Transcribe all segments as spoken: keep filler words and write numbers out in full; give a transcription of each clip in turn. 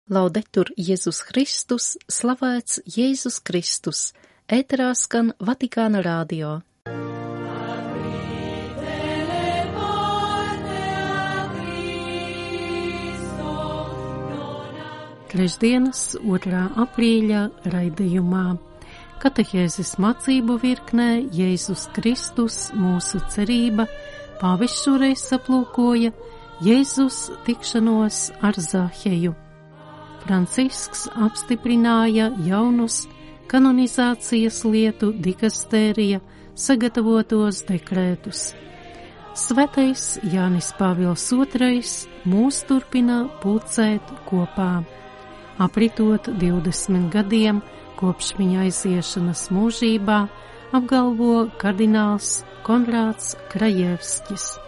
Laudetur Jēzus Kristus, slavēts Jēzus Kristus, ēterā skan Vatikāna radio. Trešdienas, otrā aprīļa raidījumā. Katehēzes mācību virknē Jēzus Kristus, mūsu cerība, pāvests šoreiz aplūkoja Jēzus tikšanos ar Zaheju. Francisks apstiprināja jaunus kanonizācijas lietu dikastērija sagatavotos dekrētus. Svētais Jānis Pāvils otrais mūs turpina pulcēt kopā. Apritot divdesmit gadiem kopš viņa aiziešanas mūžībā, apgalvo kardināls Konrāds Krajevskis.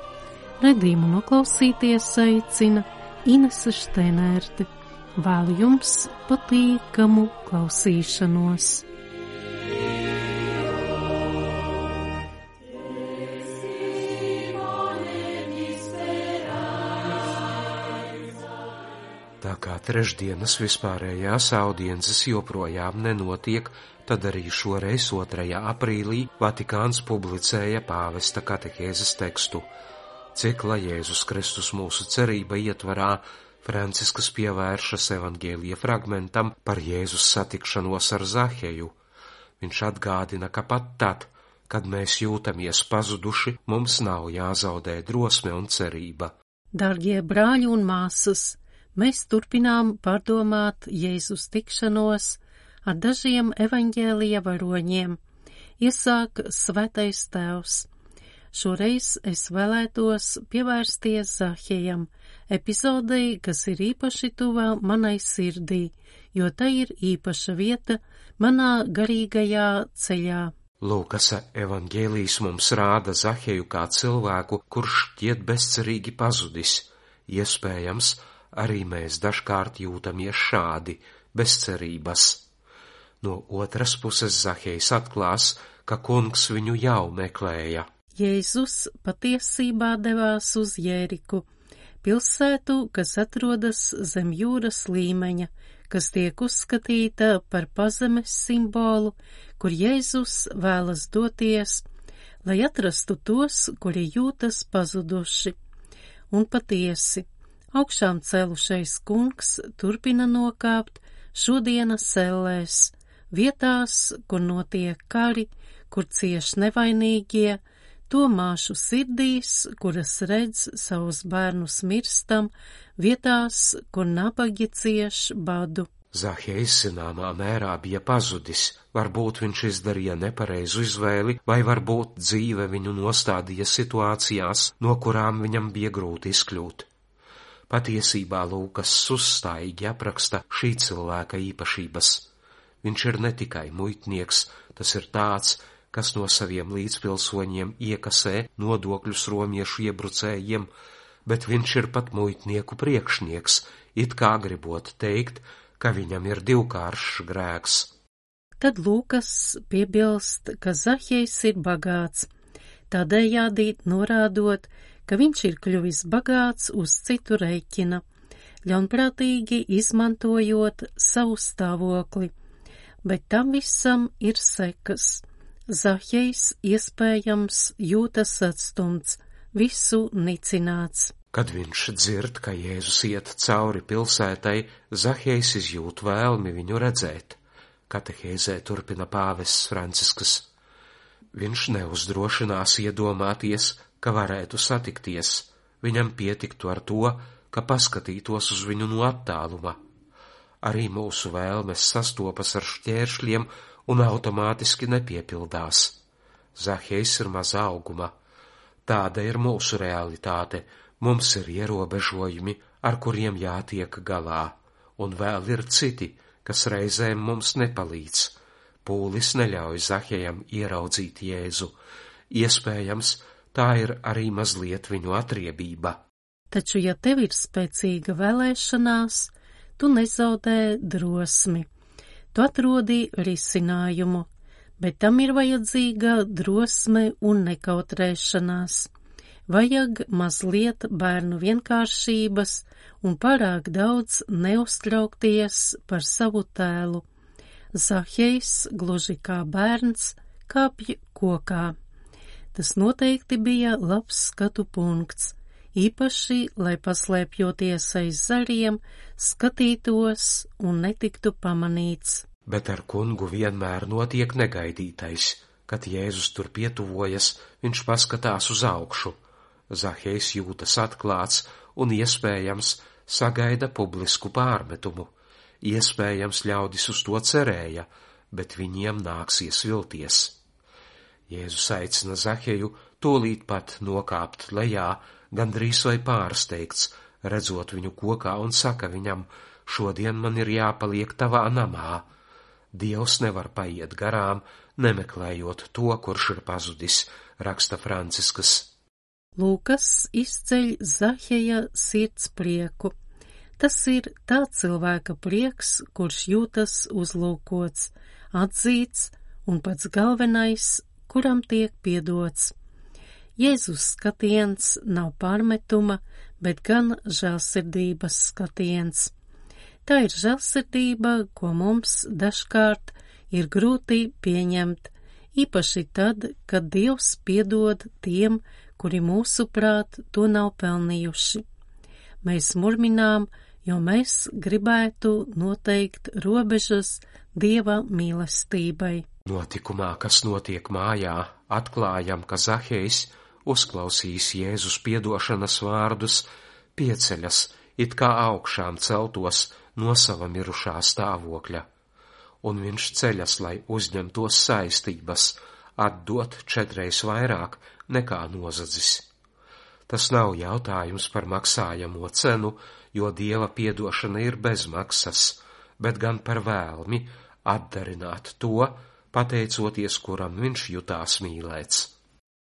Redzīmu noklausīties aicina Inese Štenērte. Vēlu jums patīkamu klausīšanos. Tā kā trešdienas vispārējās audiences joprojām nenotiek, tad arī šoreiz otrajā aprīlī Vatikāns publicēja pāvesta katehēzes tekstu. Cikla Jēzus Kristus mūsu cerība ietvarā Francisks pievēršas evaņģēlija fragmentam par Jēzus satikšanos ar Zaheju. Viņš atgādina, ka pat tad, kad mēs jūtamies pazuduši, mums nav jāzaudē drosme un cerība. Dargie brāļi un māsas, mēs turpinām pārdomāt Jēzus tikšanos ar dažiem evaņģēlija varoņiem. Iesāk Svētais Tēvs. Šoreiz es vēlētos pievērsties Zahejam, epizodei, kas ir īpaši tuvā manai sirdī, jo tā ir īpaša vieta manā garīgajā ceļā. Lūkas evaņģēlijs mums rāda Zaheju kā cilvēku, kurš šķiet bezcerīgi pazudis. Iespējams, arī mēs dažkārt jūtamies šādi, bezcerības. No otras puses Zahejs atklās, ka kungs viņu jau meklēja. Jēzus patiesībā devās uz Jēriku, pilsētu, kas atrodas zem jūras līmeņa, kas tiek uzskatīta par pazemes simbolu, kur Jēzus vēlas doties, lai atrastu tos, kuri jūtas pazuduši. Un patiesi, augšām celušais kungs turpina nokāpt šodienas ellēs, vietās, kur notiek kari, kur cieš nevainīgie, to māšu sirdīs, kuras redz savus bērnus mirstam, vietās, kur nabagi cieš badu. Zahejs zināmā mērā bija pazudis, varbūt viņš izdarīja nepareizu izvēli, vai varbūt dzīve viņu nostādīja situācijās, no kurām viņam bija grūti izkļūt. Patiesībā Lūkas uzstājīgi apraksta šī cilvēka īpašības. Viņš ir ne tikai muitnieks, tas ir tāds, kas no saviem līdzpilsoņiem iekasē nodokļus romiešu iebrucējiem, bet viņš ir pat muitnieku priekšnieks, it kā gribot teikt, ka viņam ir divkāršs grēks. Tad Lūkas piebilst, ka Zahejs ir bagāts, tādējādi norādot, ka viņš ir kļuvis bagāts uz citu rēķina, ļaunprātīgi izmantojot savu stāvokli, bet tam visam ir sekas. Zahejs iespējams jūtas atstumts, visu nicināts. Kad viņš dzird, ka Jēzus iet cauri pilsētai, Zahejs izjūt vēlmi viņu redzēt. Katehēzē turpina pāvests Francisks. Viņš neuzdrošinās iedomāties, ka varētu satikties. Viņam pietiktu ar to, ka paskatītos uz viņu no attāluma. Arī mūsu vēlmes sastopas ar šķēršļiem un automātiski nepiepildās. Zahejs ir maza auguma. Tāda ir mūsu realitāte. Mums ir ierobežojumi, ar kuriem jātiek galā, un vēl ir citi, kas reizēm mums nepalīdz. Pūlis neļauj Zahejam ieraudzīt Jēzu. Iespējams, tā ir arī mazliet viņu atriebība. Taču, ja tev ir spēcīga vēlēšanās, tu nezaudē drosmi. Tu atrodi risinājumu, bet tam ir vajadzīga drosme un nekautrēšanās. vajag mazliet bērnu vienkāršības un pārāk daudz neuztraukties par savu tēlu. Zahejs, gluži kā bērns, kāpj kokā. Tas noteikti bija labs skatu punkts, īpaši, lai paslēpjoties aiz zariem, skatītos un netiktu pamanīts. Bet ar kungu vienmēr notiek negaidītais. Kad Jēzus tur pietuvojas, viņš paskatās uz augšu. Zahejs jūtas atklāts un iespējams sagaida publisku pārmetumu. Iespējams ļaudis uz to cerēja, bet viņiem nāksies vilties. Jēzus aicina Zaheju tūlīt pat nokāpt lejā, gandrīz vai pārsteigts, redzot viņu kokā, un saka viņam: šodien man ir jāpaliek tavā namā. Dievs nevar paiet garām, nemeklējot to, kurš ir pazudis, raksta Franciskas. Lūkas izceļ Zaheja sirds prieku. Tas ir tā cilvēka prieks, kurš jūtas uzlūkots, atzīts un pats galvenais, kuram tiek piedots. Jēzus skatiens nav pārmetuma, bet gan žēlsirdības skatiens. Tā ir žēlsirdība, ko mums dažkārt ir grūti pieņemt, īpaši tad, kad Dievs piedod tiem, kuri mūsuprāt to nav pelnījuši. Mēs murminām, jo mēs gribētu noteikt robežas Dieva mīlestībai. Notikumā, kas notiek mājā, atklājam, ka Zahejs, uzklausījis Jēzus piedošanas vārdus, pieceļas, it kā augšām celtos no sava mirušā stāvokļa, un viņš ceļas, lai uzņemtos saistības, atdot četreiz vairāk nekā nozadzis. Tas nav jautājums par maksājamo cenu, jo Dieva piedošana ir bez maksas, bet gan par vēlmi atdarināt to, pateicoties, kuram viņš jutās mīlēts.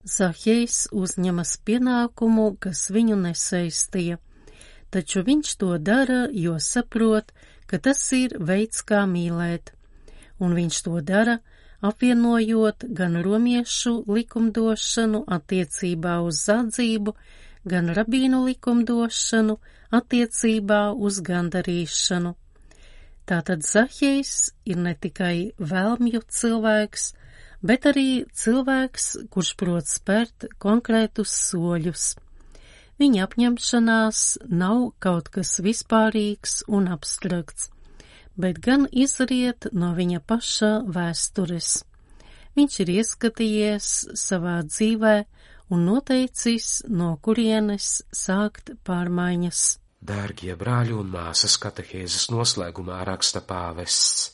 Zahejs uzņemas pienākumu, kas viņu nesaistīja, taču viņš to dara, jo saprot, ka tas ir veids, kā mīlēt, un viņš to dara, apvienojot gan romiešu likumdošanu attiecībā uz zadzību, gan rabīnu likumdošanu attiecībā uz gandarīšanu. Tātad Zahejs ir ne tikai vēlmju cilvēks, bet arī cilvēks, kurš prot spērt konkrētus soļus. Viņa apņemšanās nav kaut kas vispārīgs un abstrakts, bet gan izriet no viņa paša vēstures. Viņš ir ieskatījies savā dzīvē un noteicis, no kurienes sākt pārmaiņas. Dārgie brāļi un māsas, katehēzes noslēgumā raksta pāvests.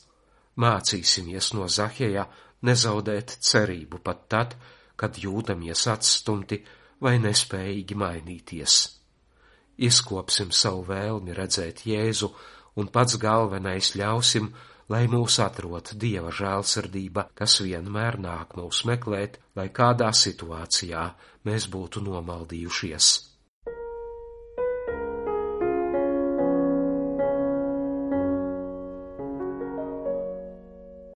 Mācīsimies no Zaheja nezaudēt cerību pat tad, kad jūtamies atstumti vai nespējīgi mainīties. Izkopsim savu vēlmi redzēt Jēzu un pats galvenais ļausim, lai mūs atrod Dieva žēlsirdība, kas vienmēr nāk mūs meklēt, lai kādā situācijā mēs būtu nomaldījušies.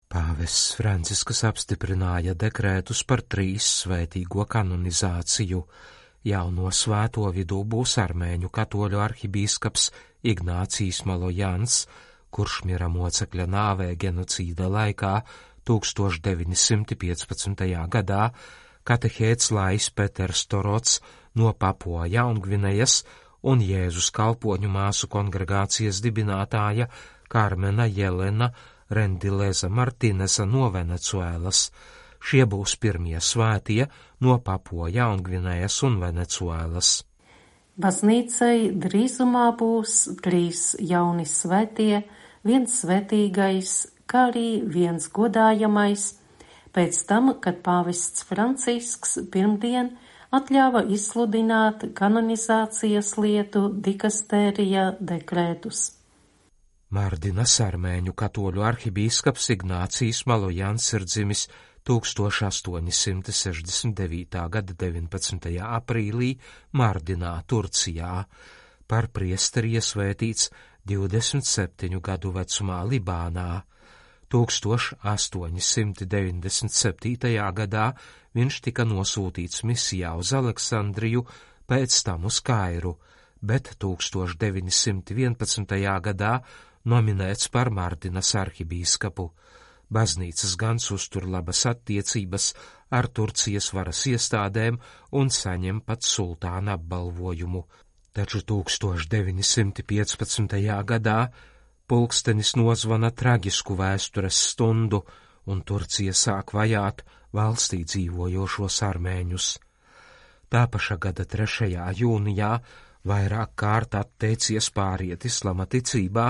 Pāvests Franciskas apstiprināja dekrētus par trīs svētīgo kanonizāciju. Jauno svēto vidū būs armēņu katoļu arhibīskaps Ignācijs Malojans, kurš mira mocekļa nāvē genocīda laikā tūkstoš deviņi simti piecpadsmitajā gadā, katehēts Lais Peters Torots no Papua Jaungvinejas un Jēzus kalpoņu māsu kongregācijas dibinātāja Karmena Jelena Rendileza Martinesa no Venecuēlas. Šie būs pirmie svētie no Papua Jaungvinejas un Venecuēlas. Baznīcai drīzumā būs trīs jauni svētie, viens svētīgais, kā arī viens godājamais, pēc tam, kad pāvests Francisks pirmdien atļāva izsludināt kanonizācijas lietu dikastērija dekrētus. Mardinas armēņu katoļu arhibīskaps Ignācijs Malojans ir dzimis tūkstoš astoņi simti sešdesmit devītā gada deviņpadsmitajā aprīlī Mardinā, Turcijā, par priesteri iesvētīts divdesmit septiņu gadu vecumā Libānā. tūkstoš astoņi simti deviņdesmit septītajā gadā viņš tika nosūtīts misijā uz Aleksandriju, pēc tam uz Kairu, bet tūkstoš deviņi simti vienpadsmitajā gadā nominēts par Mardinas arhibīskapu. Baznīcas gan uztur labas attiecības ar Turcijas varas iestādēm un saņem pat sultāna apbalvojumu. Taču tūkstoš deviņi simti piecpadsmitajā gadā pulkstenis nozvana traģisku vēstures stundu, un Turcija sāk vajāt valstī dzīvojošos armēņus. Tā paša gada trešajā jūnijā vairāk kārt atteicies pāriet islama ticībā,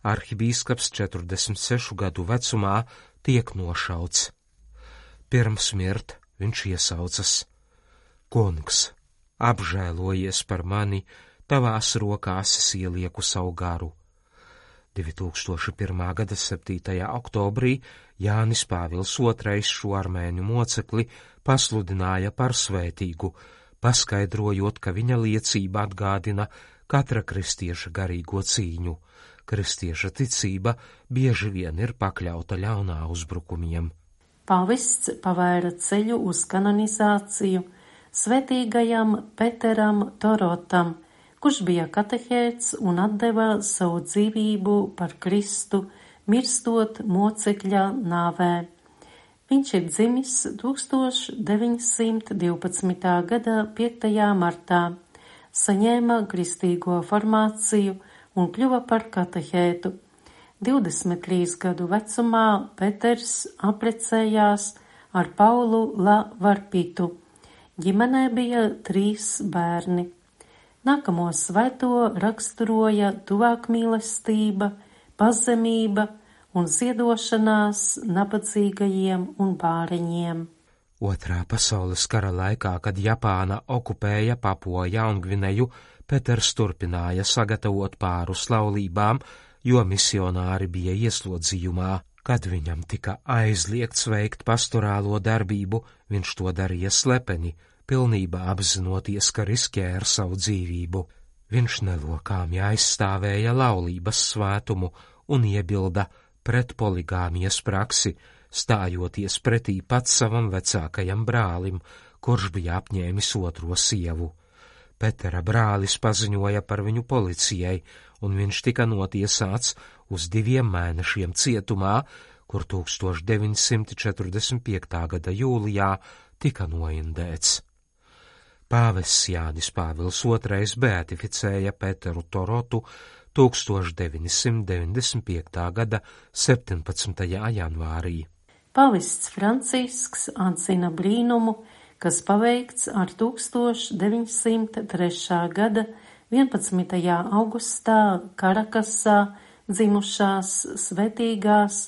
arhibīskaps četrdesmit sešu gadu vecumā tiek nošauts. Pirms mirt viņš iesaucas: Kungs, apžēlojies par mani, tavās rokās es ielieku savu garu. divi tūkstoši pirmā gada septītajā oktobrī Jānis Pāvils otrais šo armēņu mocekli pasludināja par svētīgu, paskaidrojot, ka viņa liecība atgādina katra kristieša garīgo cīņu. Kristieša ticība bieži vien ir pakļauta ļaunā uzbrukumiem. Pāvests pavēra ceļu uz kanonizāciju svētīgajam Peteram Torotam, kurš bija katehēts un atdeva savu dzīvību par Kristu, mirstot mocekļa nāvē. Viņš ir dzimis tūkstoš deviņi simti divpadsmitā gada piektajā martā, saņēma kristīgo formāciju un kļuva par katehētu. divdesmit trīs gadu vecumā Peters apprecējās ar Paulu La Varpitu. Ģimenē bija trīs bērni. Nākamo svēto raksturoja tuvākmīlestība, pazemība un ziedošanās nabadzīgajiem un bāreņiem. Otrā pasaules kara laikā, kad Japāna okupēja Papua Jaungvineju, Peters turpināja sagatavot pārus laulībām, jo misionāri bija ieslodzījumā. Kad viņam tika aizliegts veikt pastorālo darbību, viņš to darīja slepeni, pilnībā apzinoties, ka riskē ar savu dzīvību. Viņš nelokāmi aizstāvēja laulības svētumu un iebilda pret poligāmijas praksi, stājoties pretī pats savam vecākajam brālim, kurš bija apņēmis otro sievu. Petera brālis paziņoja par viņu policijai, un viņš tika notiesāts uz diviem mēnešiem cietumā, kur tūkstoš deviņi simti četrdesmit piektā gada jūlijā tika noindēts. Pāvests Jānis Pāvils otrais beatificēja Peteru Torotu tūkstoš deviņi simti deviņdesmit piektā gada septiņpadsmitajā janvārī. Pāvests Francisks atzina brīnumu, kas paveikts ar tūkstoš deviņi simti trešā gada vienpadsmitajā augustā Karakasā dzimušās svētīgās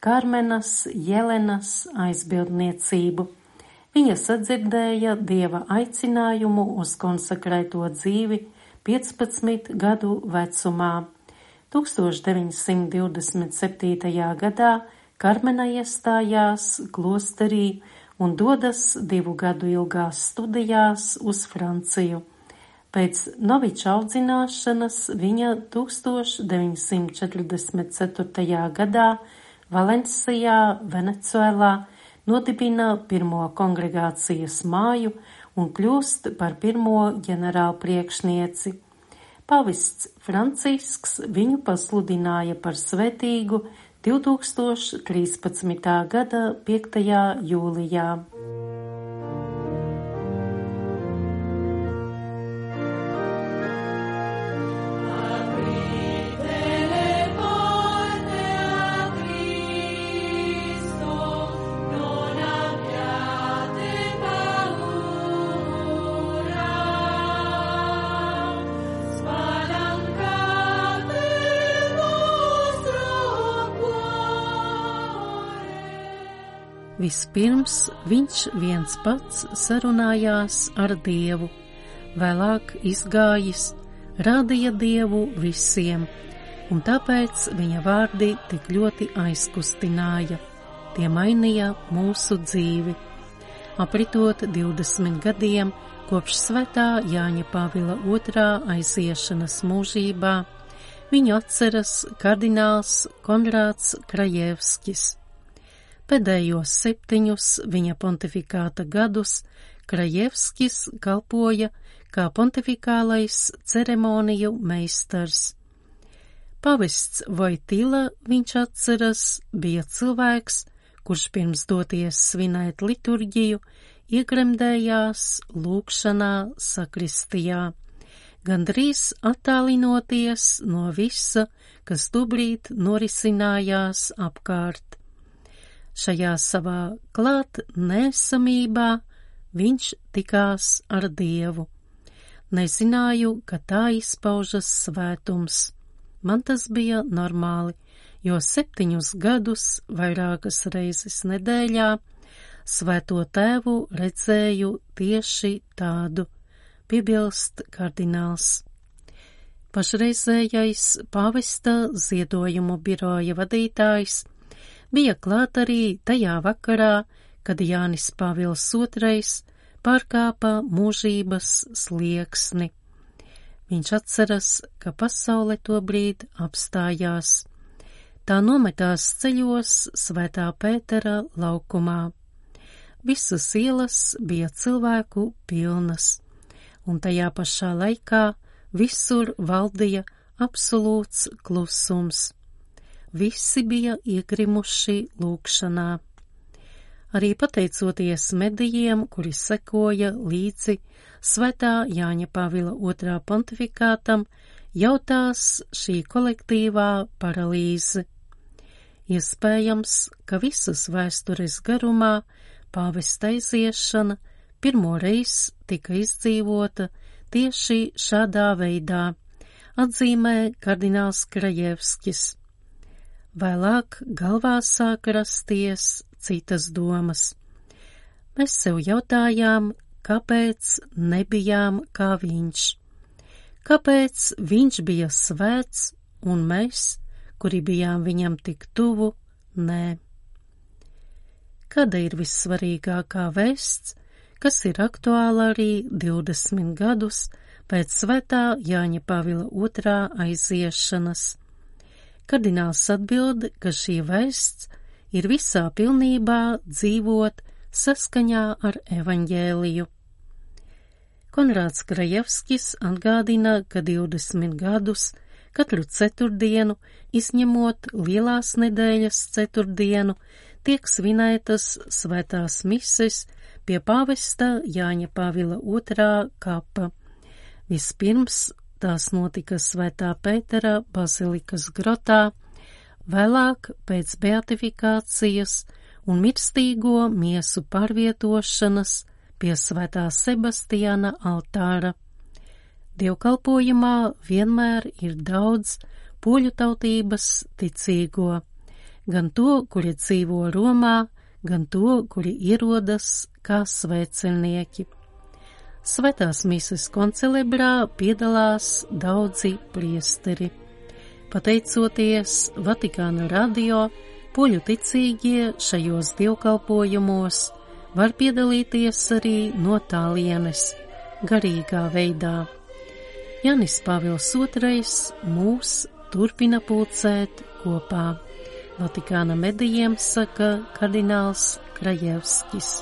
Karmenas Jelenas aizbildniecību. Viņa sadzirdēja Dieva aicinājumu uz konsekrēto dzīvi piecpadsmit gadu vecumā. tūkstoš deviņi simti divdesmit septītajā gadā Karmena iestājās klosterī un dodas divu gadu ilgās studijās uz Franciju. Pēc noviča audzināšanas viņa tūkstoš deviņi simti četrdesmit ceturtajā gadā Valencijā, Venecuēlā nodibina pirmo kongregācijas māju un kļūst par pirmo ģenerāla priekšnieci. Pavests Francisks viņu pasludināja par svētīgu divi tūkstoši trīspadsmitā gada piektajā jūlijā. Vispirms viņš viens pats sarunājās ar Dievu, vēlāk izgājis, rādīja Dievu visiem, un tāpēc viņa vārdi tik ļoti aizkustināja, tie mainīja mūsu dzīvi. Apritot divdesmit gadiem kopš svētā Jāņa Pāvila otrā aiziešanas mūžībā, viņu atceras kardināls Konrāds Krajevskis. Pēdējos septiņus viņa pontifikāta gadus Krajevskis kalpoja kā pontifikālais ceremoniju meistars. Pavests Vojtila, viņš atceras, bija cilvēks, kurš pirms doties svinēt liturģiju, iegremdējās lūgšanā sakristijā, gandrīz attālinoties no visa, kas tobrīd norisinājās apkārt. Šajā savā klāt nesamībā viņš tikās ar Dievu. Nezināju, ka tā izpaužas svētums. Man tas bija normāli, jo septiņus gadus vairākas reizes nedēļā Svēto Tēvu redzēju tieši tādu, piebilst kardināls. Pašreizējais pāvesta ziedojumu biroja vadītājs bija klāt arī tajā vakarā, kad Jānis Pāvils otrais pārkāpa mūžības slieksni. Viņš atceras, ka pasaule tobrīd apstājās. Tā nometās ceļos Svētā Pētera laukumā. Visas ielas bija cilvēku pilnas, un tajā pašā laikā visur valdīja absolūts klusums. Visi bija iegrimuši lūgšanā. Arī pateicoties medijiem, kuri sekoja līdzi Svētā Jāņa Pāvila otrā pontifikātam, jautās šī kolektīvā paralīze. Iespējams, ka visas vēstures garumā pāvesta aiziešana pirmo reizi tika izdzīvota tieši šādā veidā, atzīmē kardināls Krajevskis. Vēlāk galvā sāk rasties citas domas. Mēs sev jautājām, kāpēc nebijām kā viņš? Kāpēc viņš bija svēts un mēs, kuri bijām viņam tik tuvu, nē? Kāda ir vissvarīgākā vēsts, kas ir aktuāla arī divdesmit gadus pēc Svētā Jāņa Pāvila otrā aiziešanas? Kardināls atbild, ka šī vēsts ir visā pilnībā dzīvot saskaņā ar evaņģēliju. Konrāds Krajevskis atgādina, ka divdesmit gadus katru ceturtdienu, izņemot lielās nedēļas ceturtdienu, tiek svinētas svētās mises pie pāvesta Jāņa Pāvila otrā kapa. Vispirms tās notika Svētā Pētera bazilikas grotā, vēlāk pēc beatifikācijas un mirstīgo miesu pārvietošanas pie Svētā Sebastiāna altāra. Dievkalpojumā vienmēr ir daudz poļu tautības ticīgo, gan to, kuri dzīvo Romā, gan to, kuri ierodas kā svētceļnieki. Svētās mises koncelebrā piedalās daudzi priesteri. Pateicoties Vatikāna radio, poļu ticīgie šajos dievkalpojumos var piedalīties arī no tālienes, garīgā veidā. Jānis Pāvils otrais mūs turpina pulcēt kopā. Vatikāna medijiem saka kardināls Krajevskis.